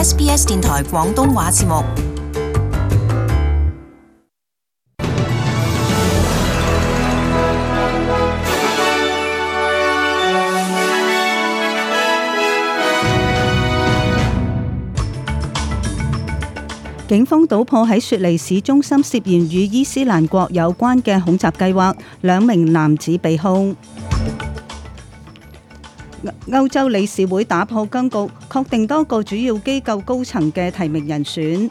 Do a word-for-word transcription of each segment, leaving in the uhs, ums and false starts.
S B S 電台廣東話節目。警方搗破喺雪梨市中心涉嫌與伊斯蘭國有關嘅恐襲計劃，兩名男子被控。歐洲理事會打破僵局，確定多個主要機構高層嘅提名人選。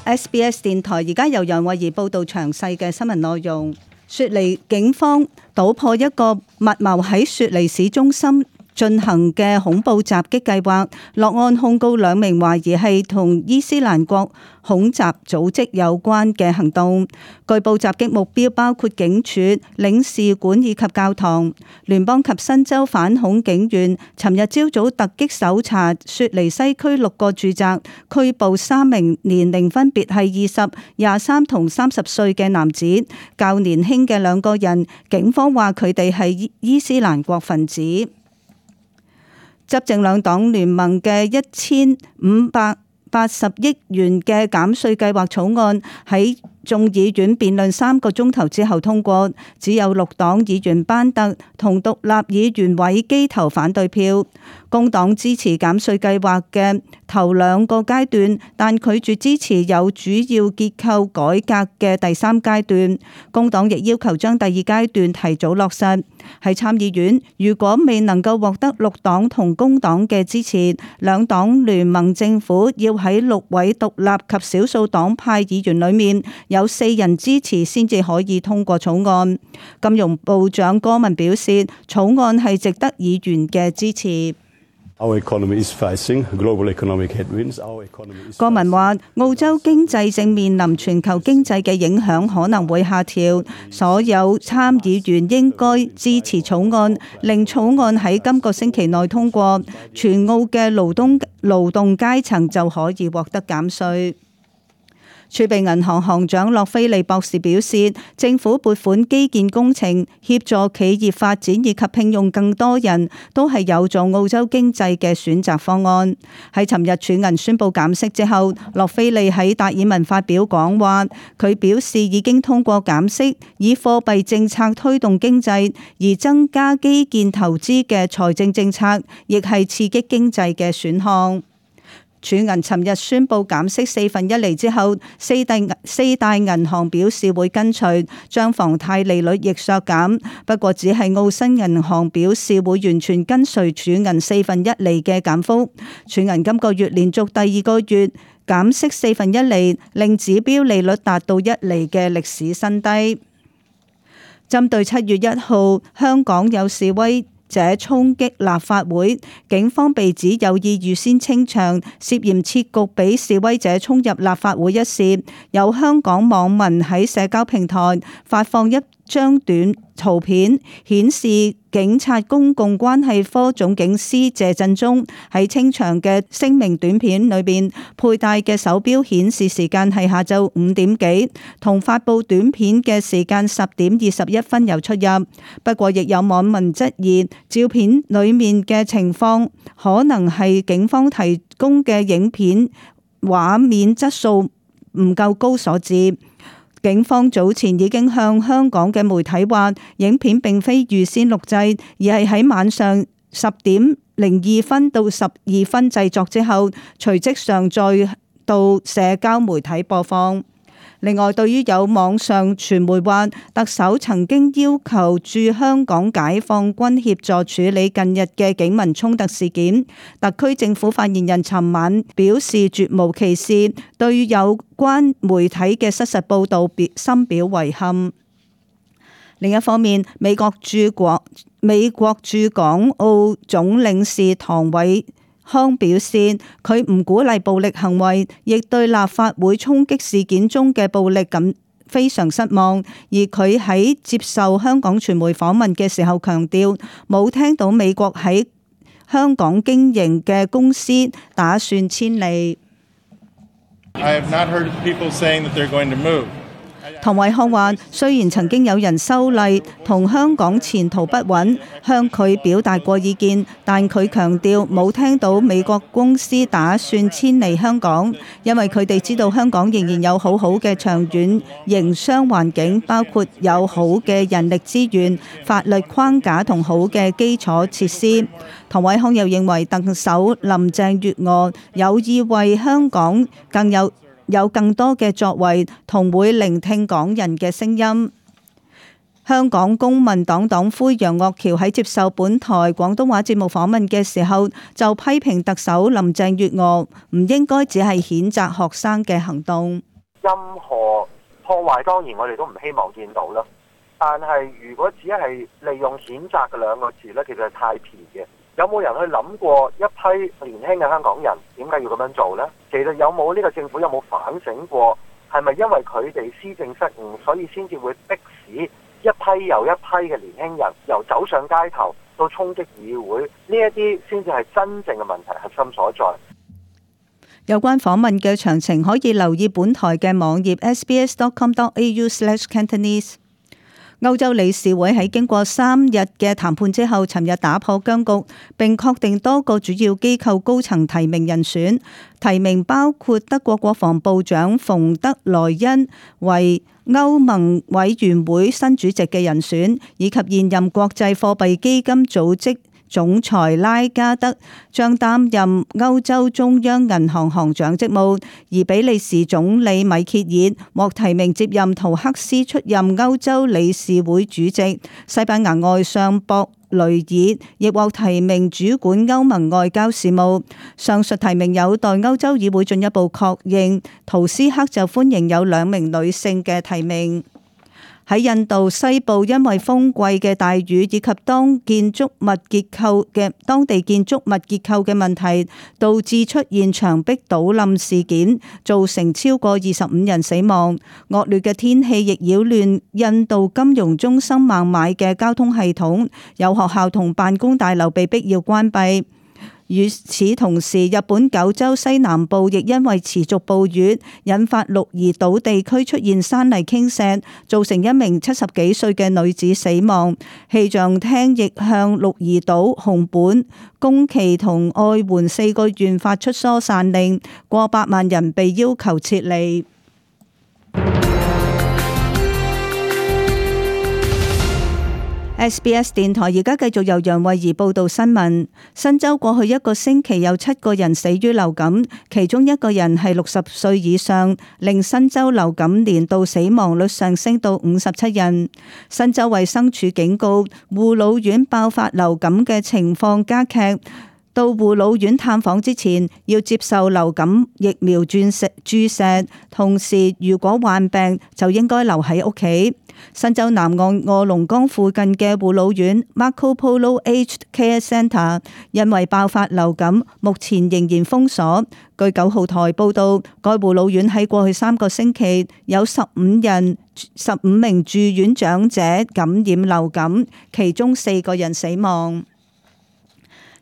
S B S 電台而家由楊慧儀報道詳細嘅新聞內容。雪梨警方搗破一個密謀喺雪梨市中心進行嘅恐怖襲擊計劃，落案控告兩名懷疑係同伊斯蘭國恐襲組織有關嘅行動。據報襲擊目標包括警署、領事館以及教堂。聯邦及新州反恐警員尋日朝早突擊搜查雪梨西區六個住宅，拘捕三名年齡分別係二十、廿三同三十歲嘅男子。較年輕嘅兩個人，警方話佢哋係伊斯蘭國分子。執政兩黨聯盟嘅一千五百八十億元嘅減稅計劃草案喺眾議院辯論三個鐘頭之後通過，只有綠黨議員班特同獨立議員韋基投反對票。工黨支持減稅計劃嘅頭兩個階段，但拒絕支持有主要結構改革嘅第三階段。工黨亦要求將第二階段提早落實。喺參議院，如果未能夠獲得綠黨同工黨嘅支持，兩黨聯盟政府要喺六位獨立及少數黨派議員裏面有四人支持先至可以通過草案。金融部長戈文表示，草案係值得議員嘅支持。戈文話：澳洲經濟正面臨全球經濟嘅影響，可能會下調。所有參議員應該支持草案，令草案喺今個星期內通過，全澳嘅勞動勞動階層就可以獲得減稅。儲備銀行行長洛菲利博士表示，政府撥款基建工程、協助企業發展以及聘用更多人都係有助澳洲經濟嘅選擇方案。喺尋日儲銀宣布減息之後，洛菲利喺達爾文發表講話，佢表示已經通過減息，以貨幣政策推動經濟，而增加基建投資嘅財政政策亦係刺激經濟嘅選項。儲銀尋日宣布減息四分一厘之後，四大四大銀行表示會跟隨，將房貸利率亦削減。不過只係澳新銀行表示會完全跟隨儲銀四分一厘嘅減幅。儲銀今個月連續第二個月減息四分一厘，令指標利率達到一厘嘅歷史新低。針對七月一號香港有示威者衝擊立法會，警方被指有意預先清場，涉嫌設局俾示威者衝入立法會一事，有香港網民喺社交平台發放一張短圖片，顯示警察公共關係科總警司謝振中喺清場嘅聲明短片裏邊佩戴嘅手錶顯示時間係下晝五點幾，同發布短片嘅時間十點二十一分有出入。不過亦有網民質疑照片裏面嘅情況可能係警方提供嘅影片畫面質素唔夠高所致。警方早前已經向香港嘅媒體話，影片並非預先錄製，而係喺晚上十點零二分到十二分製作之後，隨即上載到社交媒體播放。另外，對於有網上傳媒話特首曾經要求駐香港解放軍協助處理近日嘅警民衝突事件，特區政府發言人尋晚表示絕無其事，對於有關媒體嘅失實報導表深表遺憾。另一方面，美國駐國美國駐港澳總領事唐偉康表示，佢唔鼓勵暴力行為，亦對立法會衝擊事件中嘅暴力感非常失望。而佢喺接受香港傳媒訪問嘅時候強調，冇聽到美國喺香港經營嘅公司打算遷離。唐偉康話：雖然曾經有人修例同香港前途不穩，向佢表達過意見，但佢強調冇聽到美國公司打算遷離香港，因為佢哋知道香港仍然有好好嘅長遠營商環境，包括有好嘅人力資源、法律框架同好嘅基礎設施。唐偉康又認為特首林鄭月娥有意為香港更有有更多嘅作為，同會聆聽港人嘅聲音。香港公民黨黨魁楊岳橋喺接受本台廣東話節目訪問嘅時候，就批評特首林鄭月娥唔應該只係譴責學生嘅行動。任何破壞當然我哋都唔希望見到啦，但係如果只係利用譴責嘅兩個字呢，其實係太便嘅。有冇人去諗過一批年輕嘅香港人點解要咁樣做呢？其實有冇呢個政府有冇反省過，係咪因為佢哋施政失誤，所以先至會迫使一批又一批嘅年輕人由走上街頭到衝擊議會？呢一啲先至係真正嘅問題核心所在。有關訪問嘅詳情可以留意本台嘅網頁 s b s dot com dot a u slash cantonese。歐洲理事會喺經過三日嘅談判之後，尋日打破僵局，並確定多個主要機構高層提名人選。提名包括德國國防部長馮德萊恩為歐盟委員會新主席嘅人選，以及現任國際貨幣基金組織總裁拉加德將擔任歐洲中央銀行行長職務，而比利時總理米歇爾獲提名接任圖克斯出任歐洲理事會主席，西班牙外相博雷爾亦獲提名主管歐盟外交事務。上述提名有待歐洲議會進一步確認。圖斯克就歡迎有兩名女性嘅提名。喺印度西部，因為風季嘅大雨以及當建築物結構嘅當地建築物結構嘅問題，導致出現牆壁倒冧事件，造成超過二十五人死亡。惡劣嘅天氣亦擾亂印度金融中心孟買嘅交通系統，有學校同辦公大樓被迫要關閉。與此同時，日本九州西南部亦因為持續暴雨，引發鹿兒島地區出現山泥傾瀉，造成一名七十幾歲嘅女子死亡。氣象廳亦向鹿兒島、熊本、宮崎同愛媛四個縣發出疏散令，過百萬人被要求撤離。S B S 電台而家繼續由楊慧儀報道新聞。新州過去一個星期有七個人死於流感，其中一個人係六十歲以上，令新州流感年度死亡率上升到五十七人。新州衛生署警告，護老院爆發流感嘅情況加劇，到護老院探訪之前要接受流感疫苗注射注射，同時如果患病就應該留喺屋企。新州南岸臥龍崗附近嘅護老院 Marco Polo Aged Care Centre 因為爆發流感，目前仍然封鎖。據九號台報道，該護老院喺過去三個星期有十五人、十五名住院長者感染流感，其中四個人死亡。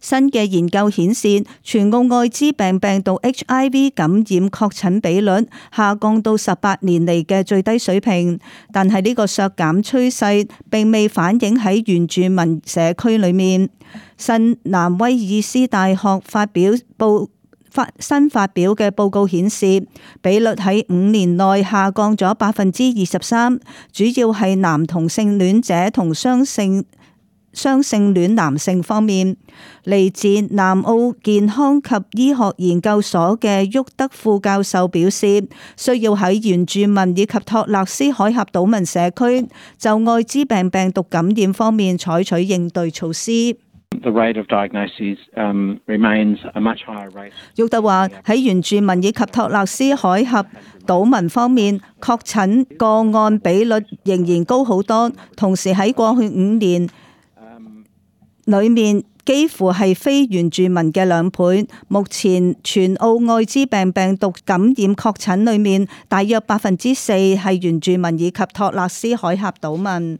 新嘅研究顯示，全澳愛滋病病毒 H I V 感染確診比率下降到十八年嚟嘅最低水平，但係呢個削減趨勢並未反映喺原住民社區裏面。新南威爾斯大學發表報發新發表嘅報告顯示，比率喺五年內下降咗百分之二十三，主要係男同性戀者同雙性雙性戀男性方面。嚟自南澳健康及醫學研究所嘅沃德副教授表示，需要喺原住民以及托勒斯海峽島民社區就愛滋病病毒感染方面採取應對措施。沃德話喺原住民以及托勒斯海峽島民方面，確診個案比率仍然高好多，同時喺過去五年裏面幾乎係非原住民嘅兩倍。目前全澳愛滋病病毒感染確診裏面，大約百分之四係原住民以及托勒斯海峽島民。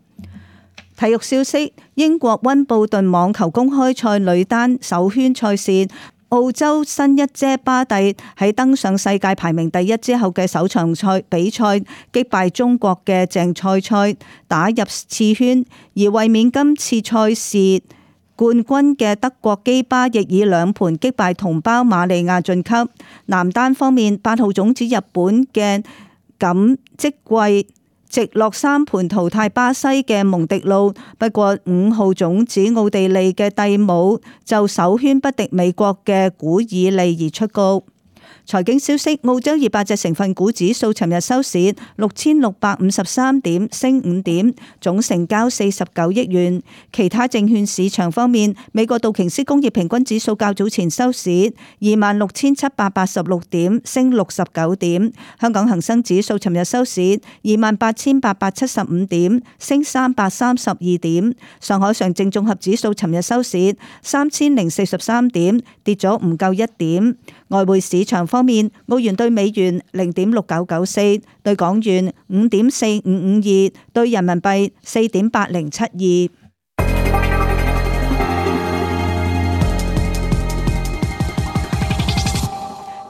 體育消息：英國溫布頓網球公開賽女單首圈賽事，澳洲新一姐巴蒂喺登上世界排名第一之後嘅首場賽比賽擊敗中國嘅鄭賽賽，打入次圈，而衛冕今次賽事冠軍嘅德國基巴亦以兩盤擊敗同胞瑪利亞晉級。男單方面，八號種子日本嘅錦織圭直落三盤淘汰巴西嘅蒙迪路，不過五號種子奧地利嘅蒂姆就首圈不敵美國嘅古爾利而出局。財經消息，澳洲二百隻成分股指數尋日收市六千六百五十三點，升五點，總成交四十九億元。其他證券市場方面，美國道瓊斯工業平均指數較早前收市二萬六千七百八十六點，升六十九點。香港恒生指數尋日收市二萬八千八百七十五點，升三百三十二點。上海上證綜合指數尋日收市三千零四十三點，跌咗唔夠一點。外匯市場方面，澳元兌美元零點六九九四，兌港元五點四五五二，兌人民幣四點八零七二。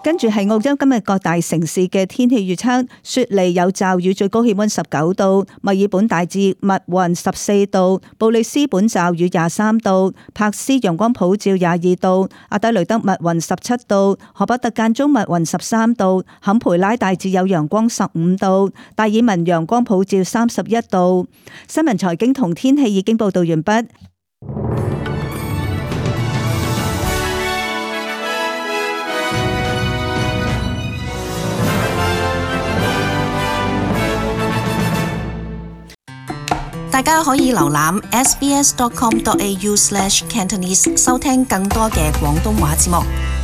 跟住係澳洲今日各大城市嘅天氣預測：雪梨有驟雨，最高氣溫十九度；墨爾本大致密雲十四度；布里斯本驟雨廿三度；柏斯陽光普照廿二度；阿德雷德密雲十七度；荷伯特間中密雲十三度；坎培拉大致有陽光十五度；達爾文陽光普照三十一度。新聞財經同天氣已經報道完畢。大家可以瀏覽 s b s dot com dot a u slash cantonese 收聽更多嘅廣東話節目。